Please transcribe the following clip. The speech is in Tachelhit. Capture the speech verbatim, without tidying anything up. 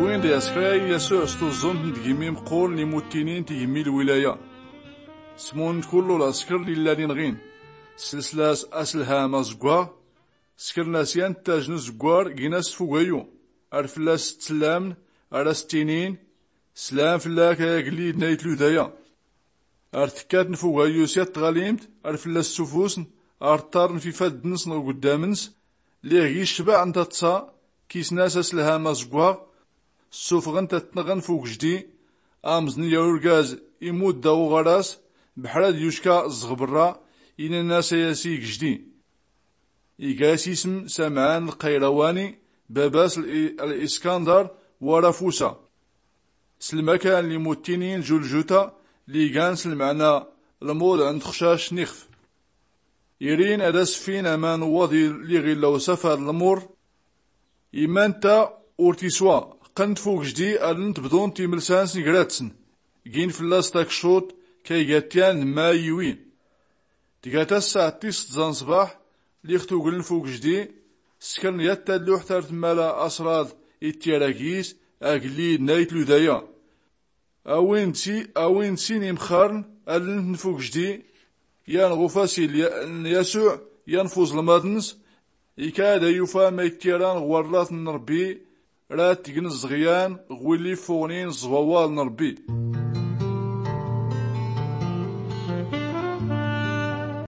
Win d-yaskra yasuɛ s-tuẓẓumt n-tgimmi mqqur n-imuttinin tigimmi lwilaya. Smun n-kullu laskr lillan inɣin, slsla-s aslham azggwaɣ. Skr-n-as yan ttaj n-uzggwar gin-as tfugayu, ar fllas-s ttsllamn, ar-as-ttinin slam flak a agllid n-ayt ludaya. Ar tkkatn fugayu s-yat tɣalimt, ar fllas-s ssufusn, ar ttarn f-ifaddn-nsn ɣ-guddam-ns. Lliɣ gis cbaɛ n-taḍsa, kisn-as aslham azggwaɣ. Ssufɣn-t ad-t-nɣn f-ugejdi. Amẓn ya urgaz imudd-aɣ uɣaras, bḥra d-yucka ẓɣ brra. Inan-as a yasi gejdi, iga-as ism samɛan lqayrawani, baba-s l-iskandar, wara fusa. S-lmakan n-imuttinin juljuta, lligan s-lmɛna lmuḍ n-txcac n-ixf. Irin ad-as-ffin aman n-waḍ lliɣ illa usafar n-lmur. Iman-ta ur tiswa. Qqnt f-ugejdi aln-t bḍunt imlsan-sn gra-tsn, gin fllas-s takccuḍt, kaygat yan d-mma iwin. Tga tassa tis-tẓa n-ṣṣbaḥ, lliɣ tugln f-ugejdi. Skr-n yat talluḥt ar tmmala asraḍ ittyar agis, agllid n-ayt ludaya. A win d-sin imxarn, aln-tn f-ugejdi, yan ɣ-ufasil n-yasuɛ, yan f-uẓlmaḍ-ns. Ikad a-yufa ma ittyara ɣ-warraḍ n-rbbi, rad tgn ẓẓɣyan ɣ-willi ffuɣnin ẓẓwawaḍ n-rbbi.